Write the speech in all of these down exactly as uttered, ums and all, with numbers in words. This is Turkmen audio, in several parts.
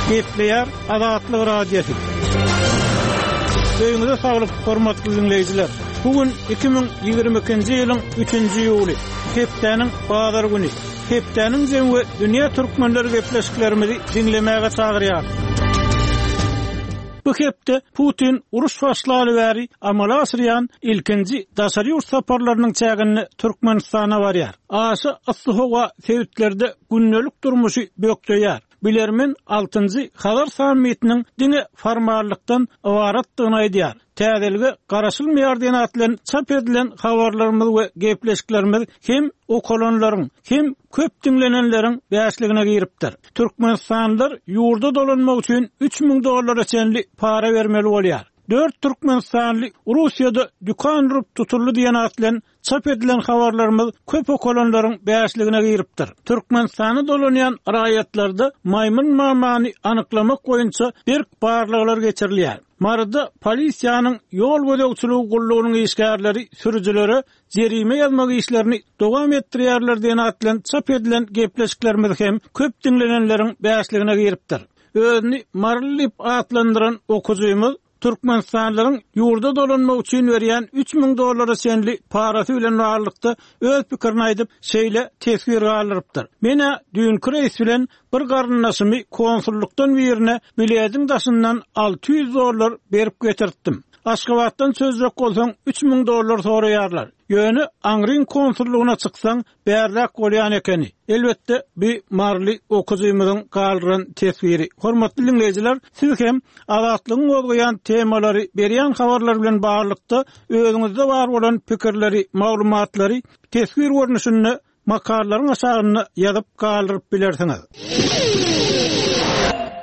Gepleýär Azatlyk Radiosy. Öýüňize saglyk, hormatly dinleýjiler. Bu gün iki müň ýigrimi ikinji ýylyň üçünji iýuly, hepdäniň bazar güni. Hepdäniň jemi we dünýä türkmenleri gepleşiklerimizi diňlemäge çagyrýar. Bu hepde Putin uruş başlaly bäri amala aşyrýan ilkinji daşary ýurt saparlarynyň çäginde Türkmenistana barýar. Aşa yssy howa sebitlerde gündelik durmuşy bökdeýär. Bilermen altynjy Hazar sammitiniň diňe formallykdan ybaratdygyny aýdýar. Täzelige garaşylmaýar diýen at bilen çap edilen habarlarymyz we gepleşiklerimiz hem okalanlaryň, hem köp diňlenenleriň bäşligine giripdir. Türkmenistanlylar ýurda dolanmak üçin üç müň dollara çenli para bermeli bolýar. Dört Türkmenistanly Russiýada dükan urup tutuldy diýen at bilen çap edilen habarlarymyz köp okalanlaryň bäşligine giripdir. Türkmenistana dolanýan raýatlarda maýmyn mamany anyklamak boýunça berk barlaglar geçirilýär. Maryda polisiýanyň ýol gözegçiligi gullugynyň işgärleri sürüjilere jerime ýazmak işlerini dowam etdirýärler diýen at bilen çap edilen gepleşiklerimiz hem köp diňlenenleriň bäşligine giripdir. Özüni Maryly diýip atlandyran okujymyz Türkmenistanlylaryň ýurda dolanmak üçin berýän üç müň dollara çenli parasy bilen baglylykda öz pikirini aýdyp, şeýle teswir galdyrypdyr. Menä düýnki reýs bilen bir garyndaşymy konsullukdan birine bilediň daşyndan alty ýüz dollar berip getirtdim. Aşgabatdan çözjek bolsaň üç müň dollar soraýarlar. Ýöne aňryň konsullugyna çyksaň bärlek bolýan ekeni. Elbetde bir Maryly okujymyzyň galdyran teswiri. Hormatly dinleýjiler, siz hem Azatlygyň gozgaýan temalary, berýän habarlar bilen baglylykda özüňizde bar bolan pikirleri, maglumatlary teswir görnüşinde makalalaryň aşagynda ýazyp galdyryp bilersiňiz.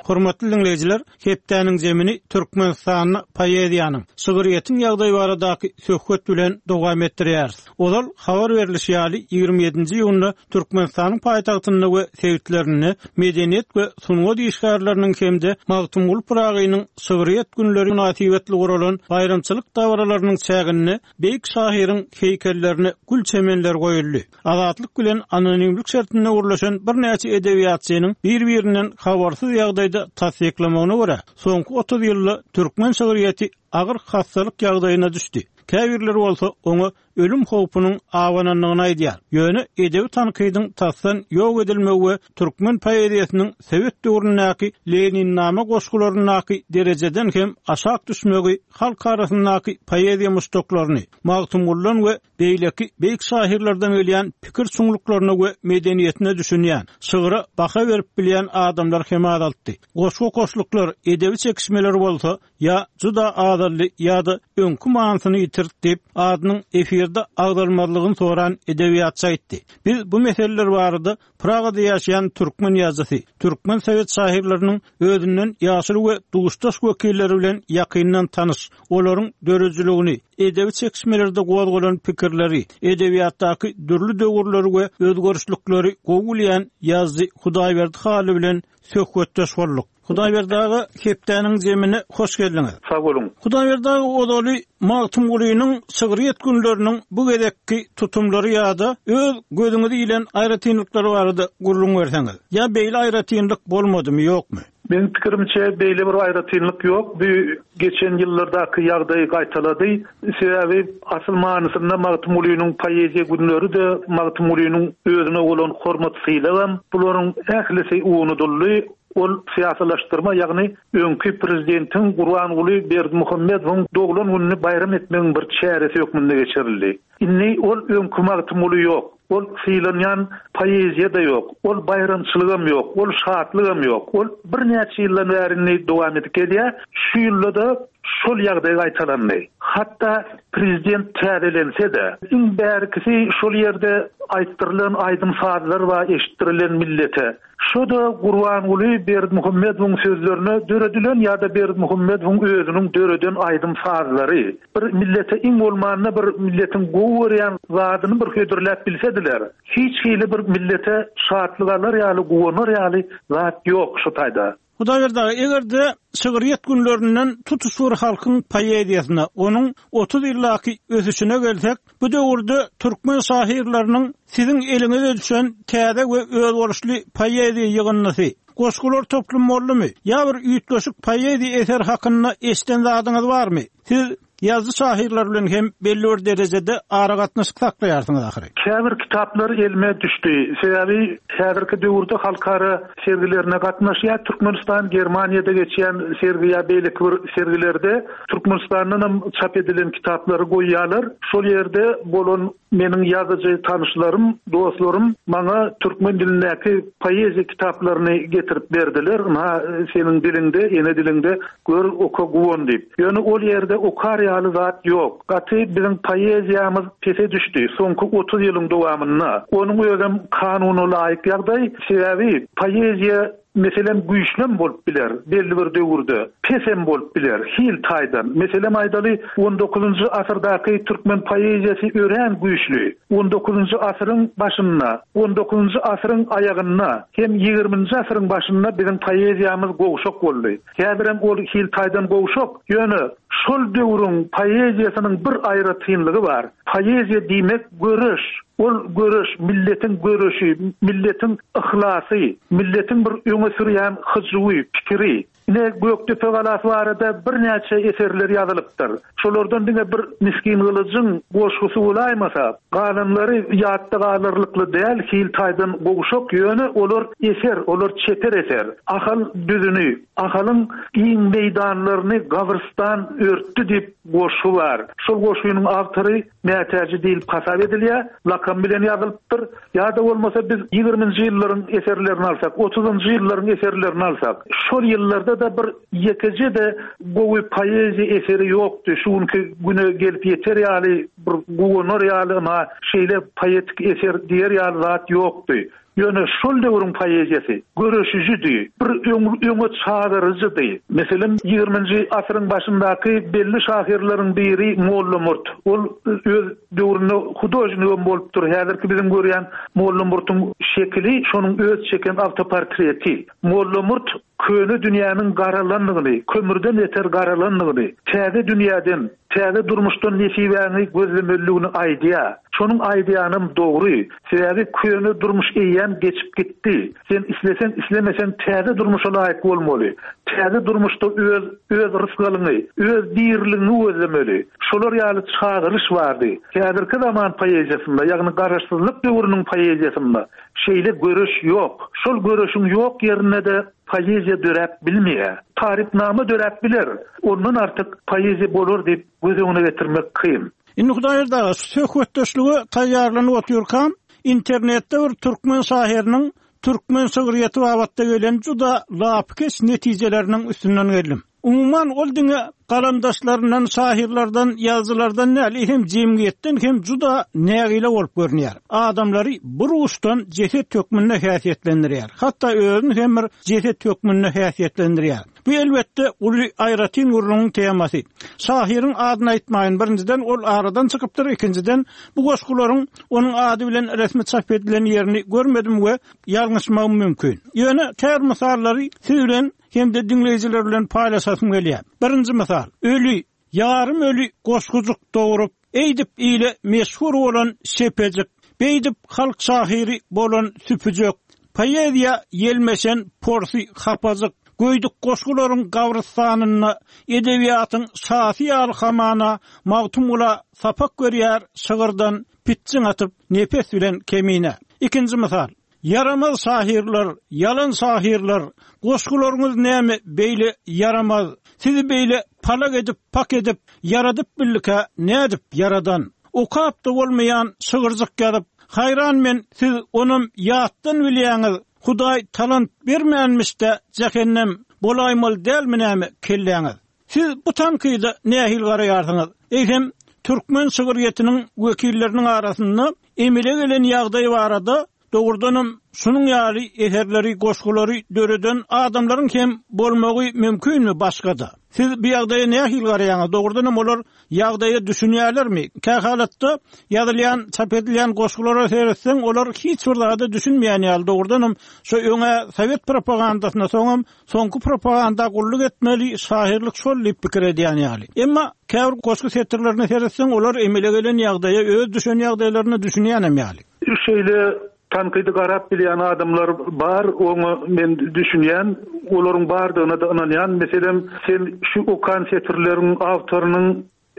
Hormatly dinleýjiler, hepdäniň zemini Türkmenistanda poeziýanyň, şygryýetiň ýagdaýy baradaky söhbet bilen dowam etdirýäris. Ozal habar berilişi ýaly ýigrimi ýedinji iýunda Türkmenistanyň paýtagtynda we sebitlerinde medeniýet we sungat işgärleriniň hem-de Magtymguly Pyragynyň şygryýet günleri mynasybetli guralan baýramçylyk dabaralarynyň çäginde beýik şahyryň heýkellerine gül çemenler goýuldy. Azatlyk bilen anonimlik şertinde gurlaşan birnäçe edebiýatçynyň bir-birinden habarsyz ýagdaýda tassyklamagyna görä, soňky otuz ýylda türkmen şygryýeti agyr hastalyk ýagdaýyna düşdi. Käbirleri bolsa oňa ölüm howpunyň abanandygyny aýdýar. Ýöne edebi tankydyň tasdan ýok edilmegi we türkmen poeziýasynyň Sowet döwründäki Leninnama goşgularyndaky derejeden hem aşak düşmegi halk arasyndaky poeziýa muşdaklaryny, Magtymgulydan we beýleki beýik şahyrlardan gelýän pikir çuňluklaryna we medeniýetine düşünýän, şygra baha berip bilýän adamlar hem azaltdy. Goşgy goşluklar, edebi çekişmeler bolsa ýa juda azaldy ýa-da öňkü manysyny ýitirdi diýip, adynyň efirde agzalmazlygyny soran edebiýatçy aýtdy. Biz bu meseleler barada Pragada ýaşaýan türkmen ýazyjysy, türkmen sowet şahyrlarynyň özünden ýaşuly we duşdaş wekilleri bilen ýakyndan tanyş, olaryň döredijiligini, edebi çekişmelerde gozgalan pikirleri, edebiýatdaky dürli döwürleri we özgerişlikleri gowy bilýän ýazyjy Hudaýberdi Hally bilen söhbetdeş bolduk. Hudaýberdi aga, hepdäniň zemine hoş geldiňiz. Sag boluň. Hudaýberdi aga, ozaly Magtymgulynyň şygryýet günleriniň bu gezekki tutumlary ýa-da öz gözüňizi ilen aýratynlyklary barada gürrüň berseňiz. Ýa beýle aýratynlyk bolmadymy, ýokmy? Benim pikirimçe beýle bir aýratynlyk ýok. Bu geçen ýyllardaky ýagdaýy gaýtalady. Sebäbi asyl manysynda Magtymgulynyň poeziýa günleri de Magtymgulynyň özüne bolan hormat sylagam bularyň ählisi unuduldy. Ol siýasylaşdyrma, ýagny öňki prezidentiň Gurbanguly Berdimuhamedowyň doglan gününi baýram etmegiň bir çäresi hökmünde geçirildi. Indi ol öňki Magtymguly ýok. Ol sylanýan poeziýa da ýok. Ol baýramçylygam ýok. Ol şatlygam ýok. Ol birnäçe ýyldan bäri indi dowam edip gelýär. Şu ýylda da şol ýagdaý gaýtalandy. Hatda prezident täzelense de, iň bärkisi şol ýerde aýtdyrylan aýdym sazlar we eşitdirilen millete. Şu da Gurbanguly Berdimuhamedowyň sözlerine döredilen ýa-da Berdimuhamedowyň özüniň döreden aýdym sazlary bir millete iň bolmanda bir milletiň gowy görýän zadyny bir hödürläp bilsediler. Hiç hili bir millete şatlyk alar ýaly, guwanar ýaly zat ýok şu taýda. Hudaýberdi aga, eger-de şygryýet günlerinden tutuş bir halkyň poeziýasyna, onuň otuz ýyldaky ösüşine gelsek, bu döwürde türkmen şahyrlarynyň siziň eliňize düşen täze we özboluşly poeziýa ýygyndysy, goşgular toplumy boldumy? Ýa bir üýtgeşik poeziýa eseri hakynda eşiden zadyňyz barmy? Siz ýazyjy şahyrlar bilen hem belli bir derejede aragatnaşyk saklaýarsyňyz ahyry. Käbir kitaplar elime düşdi. Sebäbi häzirki döwürde halkara sergilerine gatnaşýar. Türkmenistan Germaniýada geçýän sergi ýa beýleki bir sergilerde Türkmenistandan hem çap edilen kitaplary goýýarlar. Şol ýerde bolan meniň ýazyjy tanyşlarym, dostlarym maňa türkmen dilindäki poeziýa kitaplaryny getirip berdiler. Ynha, seniň diliňde, ene diliňde gör, oka, guwan diýip. Ýöne ol ýerde okar ýaly zat ýok. Gaty biziň poeziýamyz pese düşdi soňky otuz ýylyň dowamynda. Onuň özem kanuna laýyk ýagdaý, sebäbi poeziýa meselem güýçlem bolup biler belli bir döwürde, pesem bolup biler hil taýdan. Meselem aýdaly, on dokuzynjy asyrdaky türkmen poeziýasy örän güýçli. On dokuzynjy asyryň başynda, on dokuzynjy asyryň aýagynda hem ýigriminji asyryň başynda biziň poeziýamyz gowşak boldy. Häzirem ol hil taýdan gowşak, ýöne şol döwrüň poeziýasynyň bir aýratynlygy bar. Poeziýa diýmek göreş. Ol göreş, milletiň göreşi, milletiň yhlasy, milletiň bir öňe sürýän hyjuwy, pikiri. Ine Gökdepe galasy barada birnäçe eserler ýazylypdyr. Şolardan diňe bir Miskin Gylyjyň goşgusy bolaýmasa, galanlary ýatda galarlykly däl, hil taýdan gowşak, ýöne olar eser, olar çeper eser. Ahal düzüni, Ahalyň giň meýdanlaryny gabrystan örtdi diýip goşgy bar. Şol goşgynyň awtory Mätäji diýilip hasap edilýär, lakam bilen ýazylypdyr. Ýa-da bolmasa biz ýigriminji ýyllaryň eserlerini alsak, otuzynjy ýyllaryň eserlerini alsak, şol ýyllarda da bir ýekeje-de gowy poeziýa eseri ýokdy. Şu günki güne gelip ýeter ýaly, bir guwanar ýaly, ynha şeýle poetik eser diýer ýaly zat ýokdy. Ýöne şol döwrüň poeziýasy göreşijidi, bir öň-, öňe çagyryjydy. Meselem, ýigriminji asyryň başyndaky belli şahyrlaryň biri Molla Murt. Ol öz döwründe hudožnigem bolupdyr. Häzirki biziň görýän Molla Murtuň şekili şonuň öz çeken awtoportreti. Molla Murt köne dünýäniň garalandygyny, kömürden beter garalandygyny, täze dünýäden, täze durmuşdan nesibäňi gözlemeliligini aýdýar. Şonuň aýdýanam dogry. Sebäbi köne durmuş eýýäm geçip gitdi. Sen islesen, islemesen täze durmuşa laýyk bolmaly. Täze durmuşda öz, öz rysgalyňy, öz diriligiňi gözlemeli. Şolar ýaly çagyryş bardy. Häzirki zaman poeziýasynda, ýagny garaşsyzlyk döwrüniň poeziýasynda şeýle görüş ýok. Şol görüşüň ýok ýerinde de poeziýa döräp bilmeýär. Tarypnama döräp biler. Ondan artyk poeziýa bolar diýip göz öňüne getirmek kyn. Indi Hudaýberdi aga, söhbetdeşlige taýýarlanyp otyrkam, internetde bir türkmen şahyrynyň türkmen şygryýeti babatda gelen juda lapykeç netijeleriniň üstünden geldim. Umuman ol diňe galamdaşlaryndan, şahyrlardan, ýazyjylardan däl, hem jemgyýetden hem juda nägile bolup görünýär. Adamlary bir uçdan jeset hökmünde häsiýetlendirýär. Hatda özüni hem bir jeset hökmünde häsiýetlendirýär. Bu elbetde uly aýratyn gürrüňiň temasy. Şahyryň adyny aýtmaýyn, birinjiden ol aradan çykypdyr, ikinjiden bu goşgularyň onuň ady bilen resmi çap edilen ýerini görmedim we ýalňyşmagym mümkin. Ýöne ter mysallary siz bilen hem de diňleýjiler bilen paýlaşasym gelýär. Birinji mysal, öli, ýarym öli goşgujuk dogrup, eýdip ile meşhur bolan şepejik, beýdip halk şahyry bolan süpüjek, poeziýa ýelmeşen porsy hapajyk, göýdük goşgularyň gabrystanynda edebiýatyň şasy ýaly hamana Magtymgula sapak görýär şygyrdan pitjiň atyp nepes bilen kemine. Ikinji mysal, ýaramaz şahyrlar, ýalan şahyrlar, goşgularyňyz näme beýle ýaramaz, sizi beýle palak edip, pak edip, ýaradyp billika nädip ýaradan? Okap da bolmaýan şygyrjyk ýazyp, haýran men siz onam ýatdan bilýäňiz, Hudaý talant bermänmiş-de jähennem bolaýmaly dälmi näme kelläňiz? Siz bu tankyda nähili garaýarsyňyz? Eýsem türkmen şygryýetiniň wekilleriniň arasynda emele gelen ýagdaý barada Dogrudanam şunuň ýaly eserleri, goşgulary döreden adamlaryň hem bolmagy mümkinmi başga-da? Siz bu ýagdaýa nähili garaýaňyz? Dogrudanam olar ýagdaýa düşünýärlermi? Kä halatda ýazylýan, çap edilýän goşgulara seretseň, olar hiç bir zada düşünmeýän ýaly. Dogrudanam şu öňe sowet propagandasyna soňam soňky propaganda gulluk etmeli, şahyrlyk şol diýip pikir edýän ýaly. Emma käbir goşgy setirlerine seretseň, olar emele gelen ýagdaýa, öz düşen ýagdaýlaryna düşünýänem ýaly. Şeýle tankydy garap bilýän adamlar bar, oňa men düşünýän, olaryň bardygyna da inanýan. Meselem, sen şu okan setirleriň awtorynyň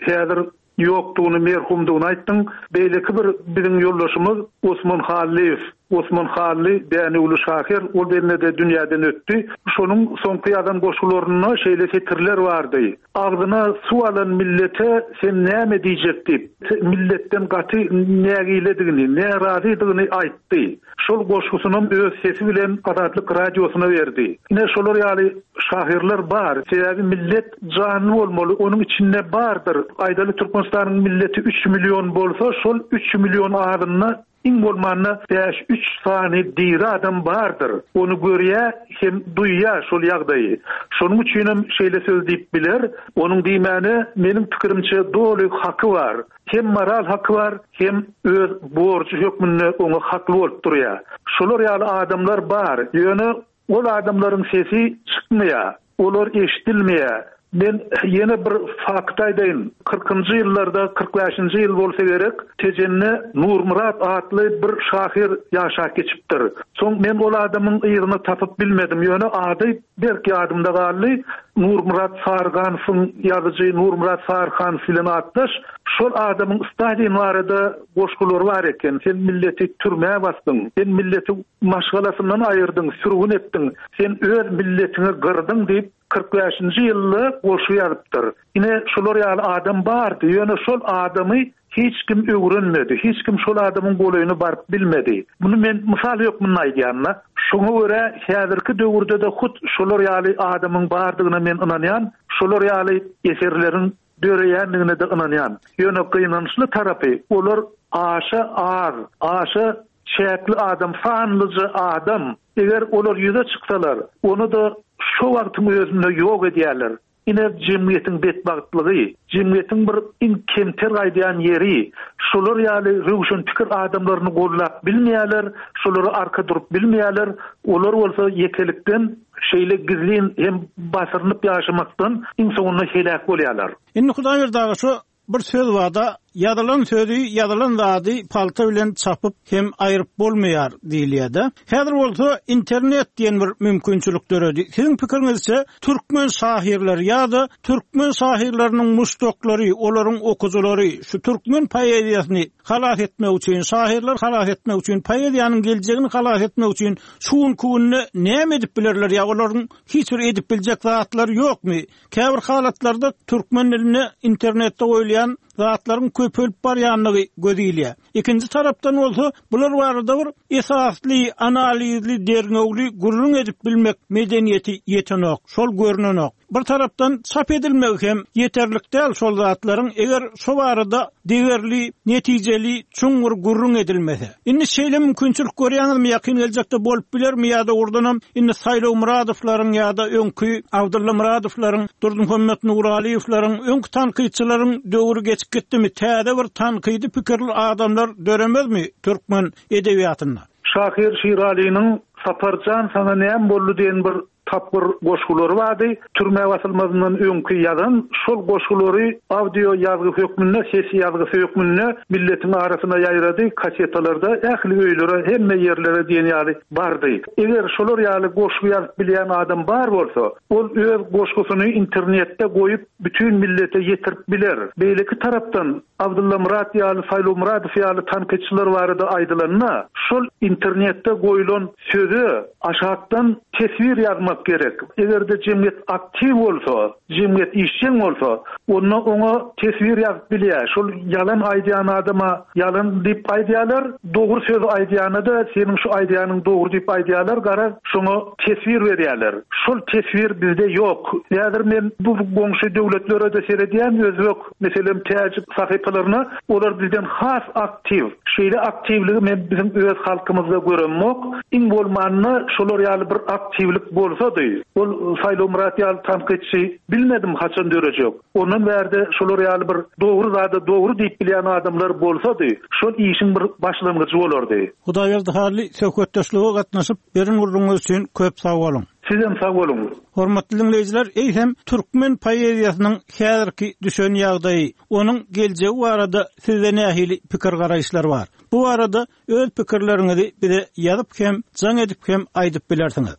häzir ýokdugyny, merhumdygyny aýtdyň. Beýleki bir biziň ýoldaşymyz Osman Hallyýew, Osman Hally Dänewli şahyr, ol bende dünýäden ötdi. Şonuň soňky ýazan goşgularynda şeýle setirler bardy. Agzyna suw alan millete sen näme diýjek diýip, milletden gaty nägiledigini, närazydygyny aýtdy. Şol goşgusyny öz sesi bilen Azatlyk radiosyna berdi. Ine şolar ýaly şahyrlar bar. Sebäbi millet janly bolmaly, onuň içinde bardyr. Aýdaly Türkmenistanyň milleti üç million bolsa, şol üç million adynda iň bolmanda bäş üç sany diri adam bardyr. Onu görýä hem duýýa şol ýagdaýy. Şonuň üçin hem şeýle söz diýip biler. Onuň diýmäne meniň pikirimçe doly haky bar. Hem moral haky bar, hem öz borjy hökmünde oňa hakly bolup durýar. Şolar ýaly adamlar bar. Ýöne ol adamlaryň sesi çykmaýar. Olar eşidilmeýär. Men ýene bir fakt aýdaýyn. Kyrkynjy ýyllarda, kyrk bäşinji ýyl bolsa gerek, Tejende Nurmyrat atly bir şahyr ýaşap geçipdir. Soň men ol adamyň yzyny tapyp bilmedim. Ýöne ady berk ýadymda galdy. Nurmyrat Sarganowyň ýazyjy Nurmyrat Sarganow bilen atdaş. Şol adamyň Stalin barada goşgulary bar eken. Sen milleti türmä basdyň, sen milleti maşgalasyndan aýyrdyň, sürgün etdiň, sen öz milletiňi gyrdyň diýip kyrk bäşinji ýylda goşgy ýazypdyr. Ine şolar ýaly adam bardy. Ýöne şol adamy hiç kim öwrenmedi. Hiç kim şol adamyň golaýyna baryp bilmedi. Bunu men mysal hökmünde aýdýan-da. Şoňa görä häzirki döwürde de hut şolar ýaly adamyň bardygyna men inanýan, şolar ýaly eserleriň döreýändigine de inanýan. Ýöne gynançly tarapy olar aşa az, aşa çäkli adam, sanlyja adam. Eger olar ýüze çyksalar, onu da şu wagtyň özünde ýok edýärler. Ine jemgyýetiň betbagtlygy, jemgyýetiň bir iň kemter gaýdýan ýeri, şolar ýaly röwşen pikir adamlaryny gollap bilmeýärler, şolara arka durup bilmeýärler. Olar bolsa ýekelikden şeýle gizlin hem basyrynyp ýaşamakdan iň soňunda heläk bolýarlar. Indi Hudaýberdi aga şu bir söz barda, ýazylan sözi, ýazylan zady palta bilen çapyp hem aýryp bolmaýar diýilýär-de. Häzir bolsa internet diýen bir mümkinçilik döredi. Siziň pikiriňizçe türkmen şahyrlary ýa-da türkmen şahyrlarynyň muşdaklary, olaryň okujylary şu türkmen poeziýasyny halas etmek üçin, şahyrlar halas etmek üçin, poeziýanyň geljegini halas etmek üçin şu günki günde näme edip bilerler ýa olaryň hiç bir edip biljek zatlary ýokmy? Käbir halatlarda türkmen dilinde internetde goýulýan zatlaryň köpelip barýanlygy göz ilýär. Ikinji tarapdan bolsa bular barada bir esasly, analizli, derňewli gürrüň edip bilmek medeniýeti ýetenok, şol görünenok. Bir tarapdan çap edilmegi hem ýeterlik däl şol zatlaryň, eger şu barada degerli, netijeli, çuňňur gürrüň edilmese. Indi şeýle mümkinçilik görýäňizmi, ýakyn geljekde bolup bilermi ýa-da oradanam indi Saýlaw Muradowlaryň ýa-da öňki Abdulla Muradowlaryň, Durdymuhammet Nuraliýewleriň, öňki tankytçylaryň döwri geçip gitdimi? Täze bir tankydy pikirli adamlar döremezmi türkmen edebiýatynda? Şahyr Şiralynyň Saparjan sana näme boldy diýen bir tapgyr goşgulary bardy. Türmä basylmazyndan öňki ýazan şol goşgulary audio ýazgy hökmünde, ses ýazgysy hökmünde milletiň arasyna ýaýrady, kasetalarda ähli öýlere, hemme ýerlere diýen ýaly bardy. Eger şolar ýaly goşgy ýazyp bilýän adam bar bolsa, ol öz goşgusyny internetde goýup bütün millete ýetirip biler. Beýleki tarapdan Abdulla Murat ýaly, Saýlaw Muradow ýaly tankytçylar barada aýdylanda, şol internetde goýulan söze aşakdan teswir ýazmak bolmak gerek. Eger-de jemgyýet aktiw bolsa, jemgyýet işjeň bolsa, onda oňa teswir ýazyp bilýär. Şol ýalan aýdýan adama ýalan diýip aýdýarlar, dogry söz aýdýana-da seniň şu aýdýanyň dogry diýip aýdýarlar, garaz şoňa teswir berýärler. Şol teswir bizde ýok. Häzir men bu goňşy döwletlere-de seredýän, özbek, meselem, täjik sahypalaryna, olar bizden has aktiw. Şeýle aktiwligi men biziň öz halkymyzda göremok. Iň bolmanda şolar ýaly bir aktiwlik bolsady, ol Saýlawmyrat ýaly tankytçy bilmedim haçan dörejek. Ondan bärde şolar ýaly bir dogry zada dogry diýip bilýän adamlar bolsady, şol işiň bir başlangyjy bolardy. Hudaýberdi Hally söhbetdeşlige gatnaşyp, beren gürrüňiňiz üçin köp sag boluň. Sizem sag boluň. Hormatly dinleýjiler, eýsem türkmen poeziýasynyň häzirki düşen ýagdaýy, onuň geljegi barada sizde nähili pikir garaýyşlar bar? Bu barada öz pikirleriňizi bize ýazyp hem, jaň edip hem aýdyp bilersiňiz.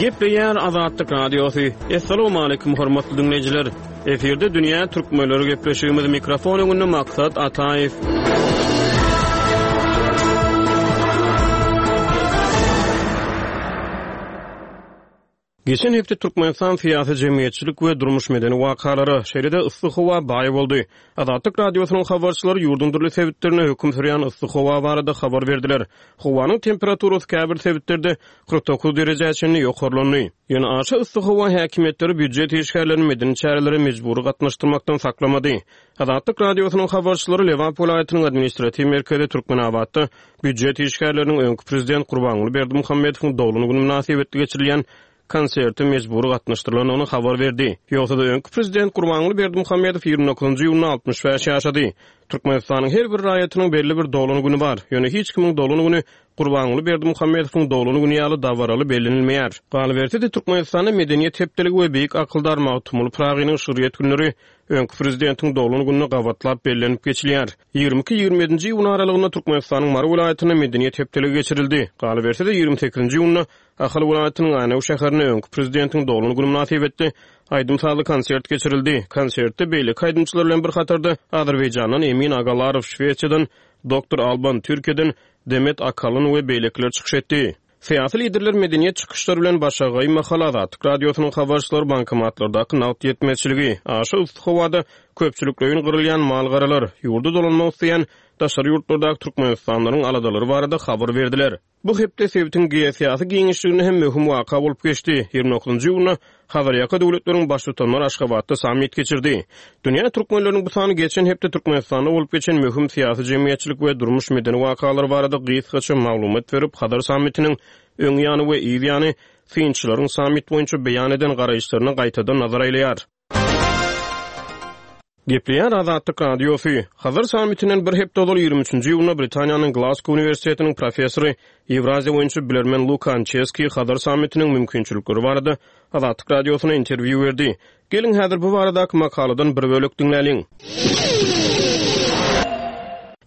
Gepleýär Azatlyk Radiosy. Assalamu hormatly dinleýjiler. Efirde Dünýä Türkmenleri gepleşigimiz mikrofon öňünde Maksat Ataýew. Geçen hepde Türkmenistan syýasy jemgyýetçilik we durmuş medeni wakalara, şeýle-de yssy howa baý boldy. Azatlyk Radiosynyň habarçylary ýurduň dürli sebitlerinde höküm sürýän yssy howa barada habar berdiler. Howanyň temperaturasy käbir sebitlerde kyrk dokuz derejä çenli ýokarlandy. Ýöne aşa yssy howa häkimiýetleri býujet işgärlerini medeni çärelere mejbury gatnaşdyrmakdan saklamady. Azatlyk Radiosynyň habarçylary Lebap welaýatynyň administratiw merkezi Türkmenabatda býujet işgärleriniň öňki prezident Gurbanguly Berdimuhamedowyň doglan güni mynasybetli geçirilýän konserte mejbury gatnaşdyrylandygyny habar berdi. Ýogsa-da öňki prezident Gurbanguly Berdimuhamedow ýigrimi dokuzynjy iýunda altmyş bäş ýaşady. Türkmenistanyň her bir raýatynyň belli bir doglan güni bar. Ýöne hiç kimiň doglan güni Gurbanguly Berdimuhamedowyň doglan güni ýaly dabaraly bellenilmeýär. Galyberse-de Türkmenistanda Medeniýet hepdeligi we Beýik akyldar Magtymguly Pyragynyň şygryýet günleri öňki prezidentiň doglan gününe gabatlap bellenip geçilýär. Ýigrimi iki ýigrimi ýedinji iýun aralygynda Türkmenistanyň Mary welaýatynda Medeniýet hepdeligi geçirildi. Galyberse-de ýigrimi sekizinji iýunda Ahal welaýatynyň Änew şäherinde öňki prezidentiň doglan günü mynasybetli aýdym-sazly konsert geçirildi. Konsertde beýleki aýdymçylar bilen bir hatarda Azerbaýjandan Emin Agalarow, Şwesiýadan Doktor Alban, Türkiýeden Demet Akalyn we beýlekiler çykyş etdi. Syýasy liderler medeniýet çykyşlary bilen başagaý mahal Azatlyk Radiosynyň habarçylary bankomatlardaky nagt ýetmezçiligi, aşa yssy howada köpçülikleýin gyrylýan malgaralar, ýurda dolanmak isleýän daşary ýurtlardaky Türkmenistanlaryň aladalary barada habar berdiler. Bu hepde sebitiň geosyýasy giňişliginde hem möhüm waka bolup geçdi. Ýigrimi dokuzynjy iýunda Hazarýaka döwletleriň baştutanlary Aşgabatda sammit geçirdi. Dünýä türkmenleriniň bu sany geçen hepde Türkmenistanda bolup geçen möhüm syýasy jemgyýetçilik we durmuş medeni wakalary barada gysgaça maglumat berip, Hazar sammitiniň öň ýany we yz ýany synçylaryň sammit boýunça beýan eden garaýyşlaryna gaýtadan nazar aýlaýar. Gepleýär Azatlyk Radiosy. Hazar sammitinden bir hepde ozal ýigrimi üçünji iýunda Britaniýanyň Glasgow uniwersitetiniň professory Ýewraziýa boýunça bilermen Luka Ançeski Hazar sammitiniň mümkinçilikleri barada Azatlyk Radiosyna interwýu berdi. Geliň häzir bu baradaky makaladan bir bölek diňläliň.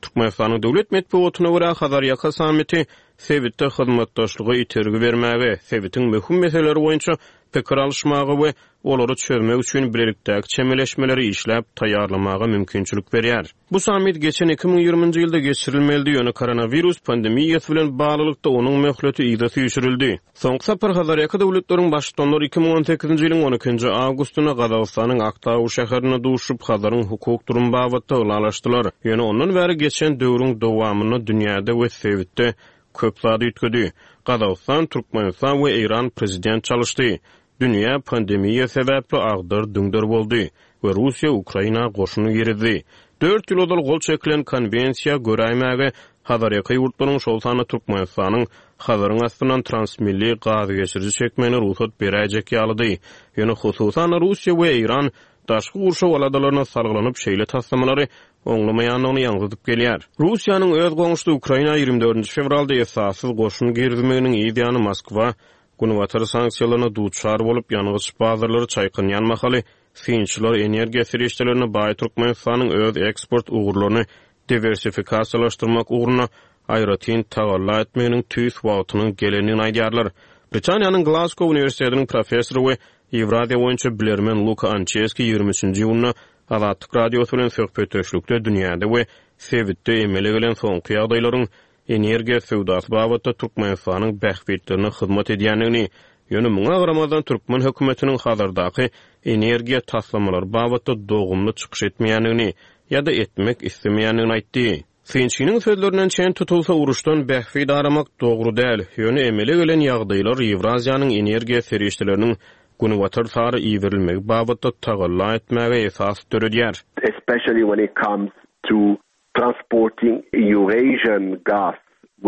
Türkmenistanyň döwlet metbugatyna görä Hazarýaka sammiti sebitde hyzmatdaşlyga itergi bermäge, sebitiň möhüm meseleleri boýunça pikir alyşmaga we olary çözmek üçin bilelikdäki çemeleşmeleri işläp taýýarlamaga mümkinçilik berýär. Bu sammit geçen iki müň ýigriminji ýylda geçirilmelidi, ýöne koronawirus pandemiýasy bilen baglylykda onuň möhleti yza süýşürildi. Soňky sapar Hazarýaka döwletleriň baştutanlary iki müň on sekizinji ýylyň on ikinji awgustynda Gazagystanyň Aktau şäherinde duşup, Hazaryň hukuk durum babatda ylalaşdylar. Ýöne ondan bäri geçen döwrüň dowamynda dünýäde we sebitde köp zat üýtgedi. Gazagystan, Türkmenistan we Eýran prezident çalyşdy. Dünýä pandemiýa sebäpli agdar düňder boldy we Russiýa Ukraina goşuny girizdi. Dört ýyl ozal gol çekilen konwensiýa göräýmäge Hazarýaka ýurtlaryň şol sanda Türkmenistanyň Hazaryň astyndan transmilli gaz geçiriji çekmegine rugsat beräýjek ýalydy. Ýöne hususan Russiýa we Eýran daşky gurşaw aladalaryna salgylanyp şeýle taslamalary oňlamaýandygyny ýaňzydyp gelýär. Russiýanyň öz goňşusy Ukraina ýigrimi dördünji fewralda esassyz goşun girizmeginiň yz ýany Moskwa Günbatar sanksiýalaryna duçar bolup, ýangyç bazarlary çaýkanýan mahaly synçylar energiýa serişdelerini baý Türkmenistanyň öz eksport ugurlaryny diwersifikasiýalaşdyrmak ugruna aýratyn tagalla etmeginiň tüýs wagtynyň gelendigini aýdýarlar. Britaniýanyň Glasgow uniwersitetiniň professory we Ýewraziýa boýunça bilermen Luka Ançeski ýigrimi üçünji iýunda Azatlyk Radiosy bilen söhbetdeşlikde dünýäde we sebitde emele gelen soňky ýagdaýlaryň energiýa söwdasy babatda Türkmenistanyň bähbitlerine hyzmat edýändigini, ýöne muňa garamazdan türkmen hökümetiniň Hazardaky energiýa taslamalary babatda dogumly çykyş etmeýändigini ýa-da etmek islemeýändigini aýtdy. Synçynyň sözlerinden çen tutulsa, uruşdan bähbit aramak dogry däl, ýöne emele gelen ýagdaýlar Ýewraziýanyň energiýa serişdeleriniň Günbatar sary iberilmegi babatda tagalla etmäge esas döredýär. Especially when it comes to transporting Eurasian gas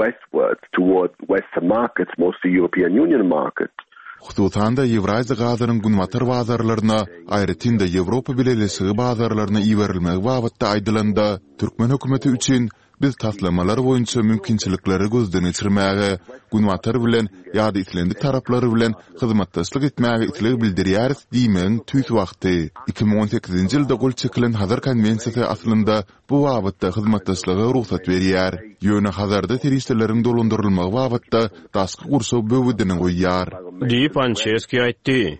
westwards toward Western markets, mostly European Union markets. Hususan-da, Ýewraziýa gazynyň Günbatar bazarlaryna, aýratyn-da Ýewropa Bileleşigi bazarlaryna iberilmegi babatda aýdylanda, türkmen hökümeti üçin biz taslamalar boýunça mümkinçilikleri gözden geçirmäge, Günbatar bilen ýa-da islendik taraplar bilen hyzmatdaşlyk etmäge isleg bildirýäris diýmegiň tüýs wagty. Iki müň on sekizinji ýylda gol çekilen Hazar konwensiýasy aslynda bu babatda hyzmatdaşlyga rugsat berýär. Ýöne Hazarda serişdeleriň dolandyrylmagy babatda daşky gurşaw böwedini goýýar. Diýip, Ançeski aýtdy.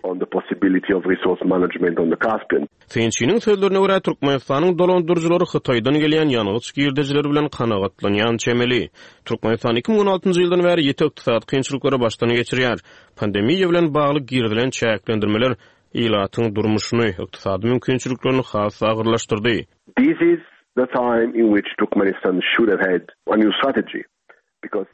Synçynyň sözlerine görä, Türkmenistanyň dolandyryjylary Hytaýdan gelýän ýangyç girdejileri bilen kanagatlanýan çemeli. Türkmenistan iki müň on altynjy ýyldan bäri ýiti ykdysady kynçylyklary başdan geçirýär. Pandemiýa bilen bagly girizilen çäklendirmeler ilatyň durmuşyny, ykdysady mümkinçiliklerini has agyrlaşdyrdy. This is the time in which Turkmenistan should have had a new strategy.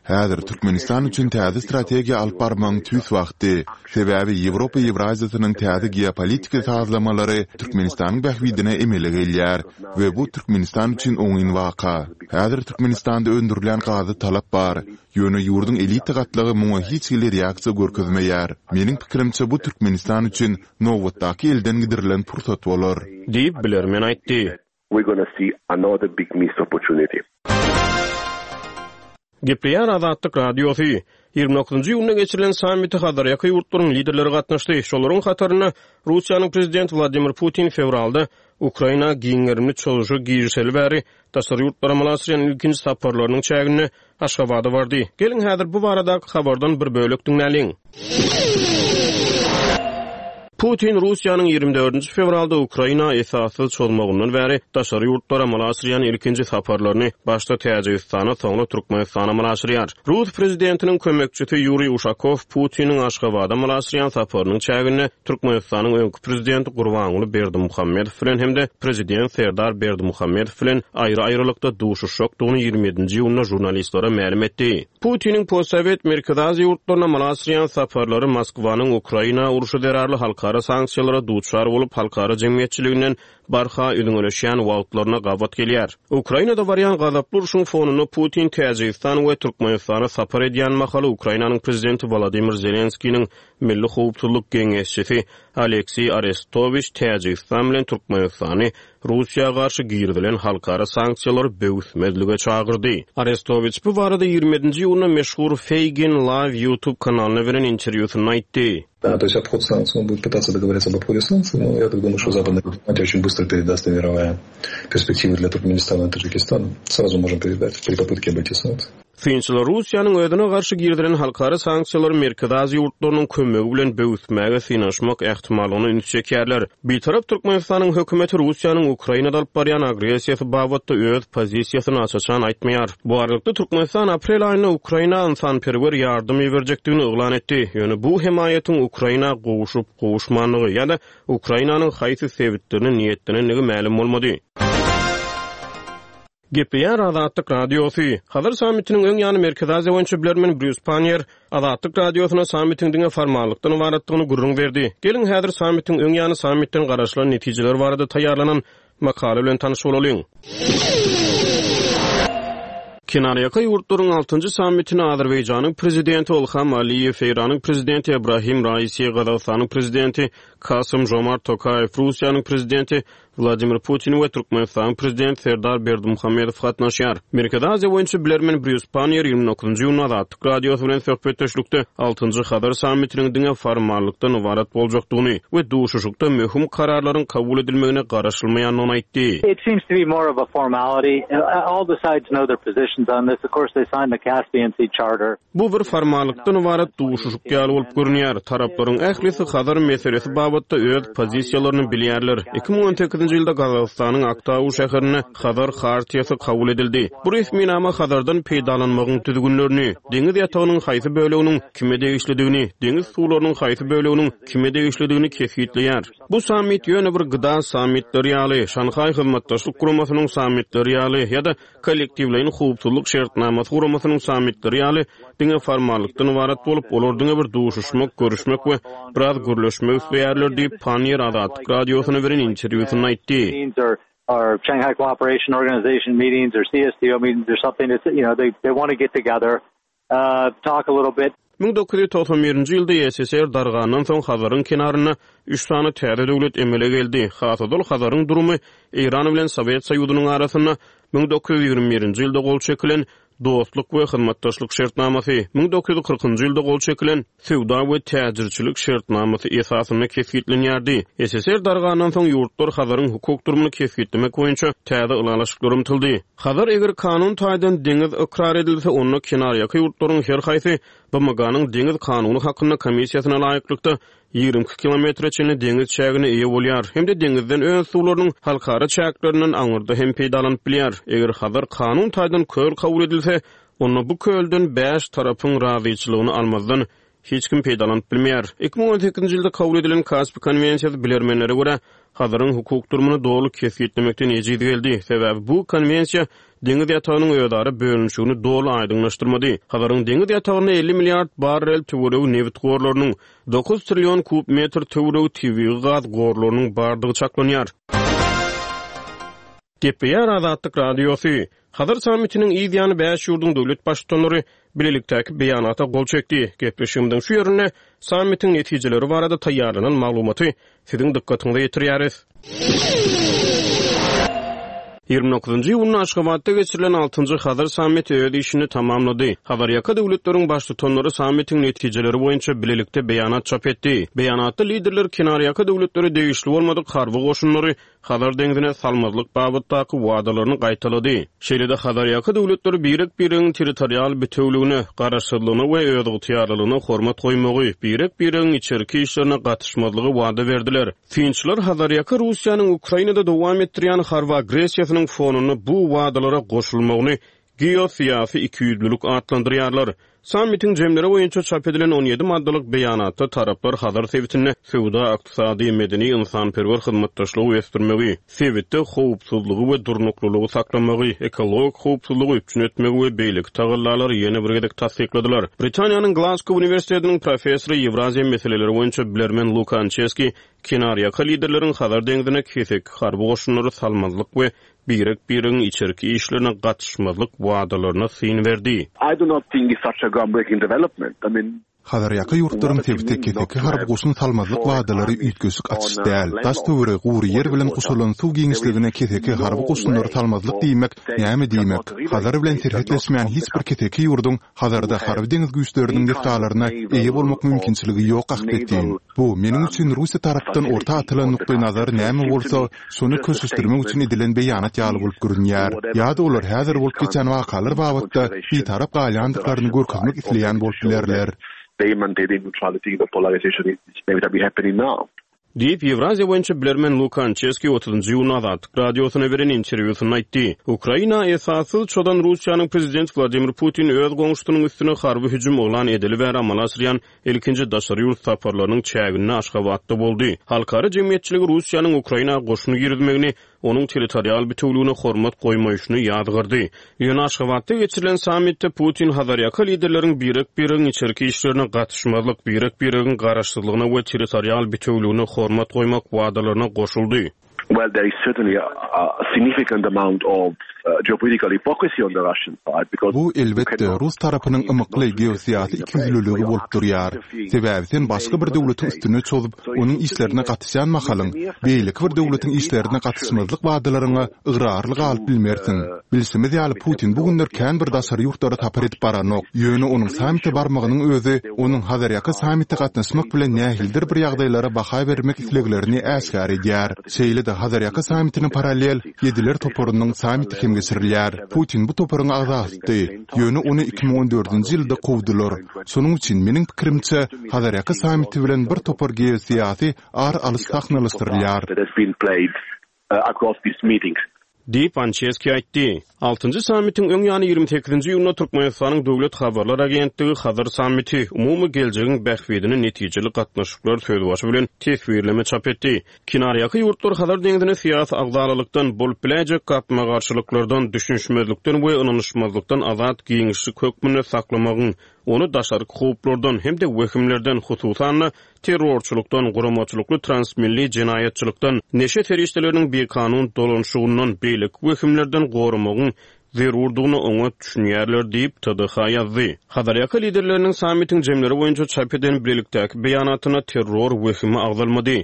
Häzir Türkmenistan üçin täze strategiýa alyp barmagyň tüýs wagty. Sebäbi Ýewropa Ýewraziýasynyň täze geopolitiki sazlamalary Türkmenistanyň bähbidine emele gelýär we bu Türkmenistan üçin oňyn waka. Häzir Türkmenistanda öndürilýän gaza talap bar, ýöne ýurduň elita gatlagy muňa hiç hili reaksiýa görkezmeýär. Meniň pikirimçe, bu Türkmenistan üçin nobatdaky elden gidirilen pursat bolar. Diýip, bilermen aýtdy. We're gonna see another big missed opportunity. Gepleýär Azatlyk Radiosy. Ýigrimi dokuzynjy iýunda geçirilen sammite Hazarýaka ýurtlaryň liderleri gatnaşdy. Şolaryň hatarynda Russiýanyň Prezidenti Wladimir Putin fewralda Ukraina giň gerimli çozuşa girişeli bäri daşary ýurtlara amala aşyrýan ilkinji saparlarynyň çäginde Aşgabada bardy. Geliň häzir bu baradaky habardan bir bölek diňläliň. Putin Russiýanyň ýigrimi dördünji fewralda Ukraina esassyz çozmagyndan bäri daşary ýurtlara amala aşyrýan ilkinji saparlaryny başda Täjigistana, soňra Türkmenistana amala aşyrýar. Rus prezidentiniň kömekçisi Ýuriý Uşakow Putiniň Aşgabada amala aşyrýan saparynyň çäginde Türkmenistanyň öňki prezidenti Gurbanguly Berdimuhamedow bilen hem-de prezident Serdar Berdimuhamedow bilen aýry-aýrylykda duşuşjakdygyny ýigrimi ýedinji iýunda žurnalistlere mälim etdi. Putiniň postsowet Merkezi Aziýa ýurtlaryna amala aşyrýan saparlary Moskwanyň Ukraina urşy zerarly halkara sanksiýalara duçar bolup, halkara jemgyýetçiliginden barha üzňeleşýän wagtlaryna gabat gelýär. Ukrainada barýan gazaply urşuň fonunda Putin Täjigistan we Türkmenistana sapar edýän mahaly Ukrainanyň prezidenti Wladimir Zelenskiniň Milli howpsuzlyk geňeşçisi Alekseý Arestowiç Täjigistan bilen Türkmenistany Russiýa garşy girizilen halkara sanksiýalary böwüsmezlige çagyrdy. Arestowiç bu barada ýigrimi ýedinji iýunda meşhur Feygin Live YouTube kanalyna beren interwýusynda aýtdy. Да, то есть обход санкций, он будет пытаться договориться об обходе санкций, но я так думаю, что западная дипломатия очень быстро передаст и мировая перспективы для Туркменистана и Таджикистана. Сразу можем передать при попытке обойти санкции. Synçylar Russiýanyň özüne garşy girizilen halkara sanksiýalary Merkezi Aziýa ýurtlarynyň kömegi bilen böwüsmäge synanyşmak ähtimallygyny üns çekýärler. Bitarap Türkmenistanyň hökümeti Russiýanyň Ukrainada alyp barýan agressiýasy babatda öz pozisiýasyny aç-açan aýtmaýar. Bu aralykda Türkmenistan aprel aýynda Ukraina ynsanperwer ýardam berjekdigini yglan etdi. Ýöne bu hemaýatyň Ukraina gowuşyp gowuşmanlygy ýa-da Ukrainanyň haýsy sebitlerine niýetlenendigi mälim bolmady. Gepleýär Azatlyk Radiosy. Hazar sammitiniň öň ýany Merkezi Aziýa boýunça bilermen Brýus Pannier Azatlyk Radiosyna sammitiň diňe formallykdan ybaratdygyny gürrüň berdi. Geliň häzir sammitiň öň ýany sammitden garaşylan netijeler barada taýýarlanan makala bilen tanyş bolalyň. Kenarýaka ýurtlaryň altynjy sammitine Azerbaýjanyň prezidenti Ilham Aliýew, Eýranyň prezidenti Ibrahim Raisi, Gazagystanyň prezidenti Kasym Jomart Tokaýew, Russiýanyň prezidenti Wladimir Putin we Türkmenistanyň prezidenti Serdar Berdimuhamedow gatnaşýar. Merkezi Aziýa boýunça bilermen Brýus Pannier ýigrimi dokuzynjy iýunda Azatlyk Radiosy bilen söhbetdeşlikde altynjy Hazar sammitiniň diňe formallykdan ybarat boljakdygyny we duşuşykda möhüm kararlaryň kabul edilmegine garaşylmaýandygyny aýtdy. It seems to be more of a formality. All the sides know their positions on this. Of course, they signed the Caspian Sea Charter. Bu bir formallykdan ybarat duşuşyk ýaly bolup görünýär. Taraplaryň ählisi Hazar meselesi babatda öz pozisiýalaryny bilýärler. Iki müň on sekizinji sekizinji ýylda Gazagystanyň Aktau şäherinde Hazar Hartiýasy kabul edildi. Bu resminama Hazardan peýdalanmagyň düzgünlerini, deňiz ýatagynyň haýsy böleginiň kime degişlidigini, deňiz suwlarynyň haýsy böleginiň kime degişlidigini kesgitleýär. Bu sammit ýöne bir G D A sammitleri ýaly, Şanhaý Hyzmatdaşlyk Guramasynyň sammitleri ýaly ýa-da Kollektiwleýin howpsuzlyk şertnamasy guramasynyň sammitleri ýaly diňe formallykdan ybarat bolup, olar diňe bir duşuşmak, görüşmek we biraz gürleşmek isleýärler diýip, Panniýer Azatlyk Radiosyna beren interwýusynda aýtdy. Or Shanghai Cooperation Organization meetings or C S T O meetings or something. It's, you know, they, they want to get together, uh, talk a little bit. Müň dokuz ýüz togsan birinji ýylda S S S R dargandan soň Hazaryň kenarynda üç sany täze döwlet emele geldi. Has ozal Hazaryň durumy Eýran bilen Sowet Soýuzynyň arasynda müň dokuz ýüz ýigrimi birinji ýylda gol çekilen Dostluk we hyzmatdaşlyk şertnamasy, müň dokuz ýüz kyrkynjy ýylda gol çekilen Söwda we täjirçilik şertnamasy esasynda kesgitlenýärdi. S S S R dargandan soň ýurtlar Hazaryň hukuk durumyny kesgitlemek boýunça täze ylalaşyklara ymtyldy. Hazar eger kanun taýdan deňiz ykrar edilse, onda kenarýaka ýurtlaryň her haýsy B M G-nyň deňiz kanuny hakynda komissiýasyna laýyklykda ýigrimi iki kilometre çenli deňiz çägine eýe bolýar hem-de deňizden öz suwlarynyň halkara çäklerinden aňyrda hem peýdalanyp bilýär. Eger Hazar kanun taýdan köl kabul edilse, onda bu kölden bäş tarapyň razyçylygyny almazdan hiç kim peýdalanyp bilmeýär. Iki müň on sekizinji ýylda kabul edilen Kaspi konwensiýasy bilermenlere görä Hazaryň hukuk durumyny doly kesgitlemekden ejiz geldi. Sebäbi bu konwensiýa deňiz ýatagynyň özara bölünişigini doly aýdyňlaşdyrmady. Hazaryň deňiz ýatagynda elli milliard barrel töweregi nebit gorlarynyň, dokuz trillion kub metr töweregi tebigy gaz gorlarynyň bardygy çaklanýar. Gepleýär Azatlyk Radiosy. Hazar sammitiniň yz ýany bäş ýurduň döwlet baştutanlary bilelikdäki beýanata gol çekdi. Gepleşigimiziň şu ýerinde sammitiň netijeleri barada taýýarlanan maglumaty siziň dykgatyňyza ýetirýäris. Ýigrimi dokuzynjy iýunda Aşgabatda geçirilen altynjy Hazar sammiti öz işini tamamlady. Hazarýaka döwletleriň baştutanlary sammitiň netijeleri boýunça bilelikde beýanat çap etdi. Beýanatda liderler kenarýaka döwletlere degişli bolmadyk harby goşunlary Hazar deňzine salmazlyk babatdaky wadalaryny gaýtalady. Şeýle-de Hazarýaka döwletleri birek-biregiň territorial bütewligine, garaşsyzlygyna we özygtyýarlylygyna hormat goýmagy, birek-biregiň içerki işlerine gatyşmazlygy wada berdiler. Synçylar Hazarýaka Russiýanyň Ukrainada dowam etdirýän harby agressiýasynyň fonunda bu wadalara goşulmagyny geosyýasy ikiýüzlülik atlandyrýarlar. Sammitiň jemleri boýunça çap edilen on ýedi maddalyk beýanatda taraplar Hazar sebitinde söwda, ykdysady, medeni, ynsanperwer hyzmatdaşlygy ösdürmegi, sebitde howpsuzlygy we durnuklylygy saklamagy, ekologik howpsuzlygy üpjün etmegi we beýleki tagallalary ýene bir gezek tassykladylar. Britaniýanyň Glasgow uniwersitetiniň professory, Ýewraziýa meseleleri boýunça bilermen Luka Ançeski kenarýaka liderleriň Hazar deňzine keseki harby goşunlary salmazlyk we birek-biregiň içerki işlerine gatyşmazlyk wadalaryna syn berdi. I do not think it's such a groundbreaking development. I mean, Hazarýaka ýurtlaryň sebite keseki harby goşun salmazlyk wadalary üýtgeşik açyş däl. Daş töweregi gury ýer bilen gurşalan suw giňişligine keseki harby goşunlary salmazlyk diýmek näme diýmek? Hazar bilen serhetleşmeýän hiç bir keseki ýurduň Hazarda harby deňiz güýçleriniň desgalaryna eýe bolmak mümkinçiligi ýok ahbetin. Bu meniň üçin Russiýa tarapdan orta atylan nukdaý nazar näme bolsa, şony köşeşdirmek üçin edilen beýanat ýaly bolup görünýär. Ýa-da olar häzir bolup geçen wakalar babatda bitarap galýandyklaryny görkezmek isleýän bolup bilerler. They maintain neutrality in the polarization is inevitably happening now. Diýip, Ýewraziýa boýunça bilermen Luka Ançeski otuzynjy iýunda Azatlyk Radiosyna beren interwýusynda aýtdy. Ukraina esassyz çozan Russiýanyň prezident Wladimir Putin öz goňşusynyň üstüne harby hüjüm yglan edeli bäri amala aşyrýan ilkinji daşary ýurt saparlarynyň çäginde Aşgabatda boldy. Halkara jemgyýetçiligi Russiýanyň Ukraina goşun girizmegini, onuň territorial bütewligine hormat goýmaýşyny ýazgardy. Ýöne Aşgabatda geçirilen sammitde Putin Hazarýaka liderleriň birek-biregiň içerki işlerine gatyşmazlyk, birek-biregiň garaşsyzlygyna we territorial bütewligine hormat goýmak wadalaryna goşuldy. Well, there is certainly a, a significant amount of uh, geopolitical hypocrisy on the Russian side because Bu elbetde rus tarapynyň ymykly geosyýasy ikiýüzlüligi bolup durýar. Sebäbi sen başga bir döwletiň üstüne çozup, onuň işlerine gatyşýan mahalyň, beýleki bir döwletiň işlerine gatyşmazlyk wadalaryňa ygrarly galyp bilmersiň. Bilşimiz ýaly, Putin bu günler kän bir daşary ýurtlara sapar edip baranok. Ýöne onuň sammite barmagynyň özi onuň Hazarýaka sammite gatnaşmak bilen nähilidir bir ýagdaýlara baha bermek isleglerini äşgär edýär. Şeýle-de Hazarýaka sammitine parallel Ýediler toparynyň sammiti hem geçirilýär. Putin bu toparyň agzasydy. Ýöne ony iki müň on dördünji ýylda kowdular. Şonuň üçin meniň pikirimçe Hazarýaka sammiti bilen bir topar geosyýasy ar alyş sahnalaşdyrylýar. That has been played across these meetings. Diýip, Ançeski aýtdy. Altynjy sammitiň öň ýany ýigrimi sekizinji iýunda Türkmenistanyň Döwlet habarlar agentligi Hazar sammiti, umumy geljegiň bähbidine netijeli gatnaşyklar sözbaşy bilen teswirleme çap etdi. Kenarýaka ýurtlar Hazar deňzini syýasy agzalalykdan, bolup biläýjek gapma-garşylyklardan, düşünişmezlikden we ynanyşmazlykdan azat giňişlik hökmünde saklamagyň, ony daşarky howplardan hem-de wehimlerden, hususan-da, terrorçylykdan, guramaçylykly transmilli jenaýatçylykdan, neşe serişdeleriniň bikanun dolanyşygyndan, beýleki wehimlerden goramagyň zerurdygyna oňat düşünýärler diýip, TDH ýazdy. Hazarýaka liderleriniň sammitiň jemleri boýunça çap eden bilelikdäki beýanatynda terror wehimi agzalmady.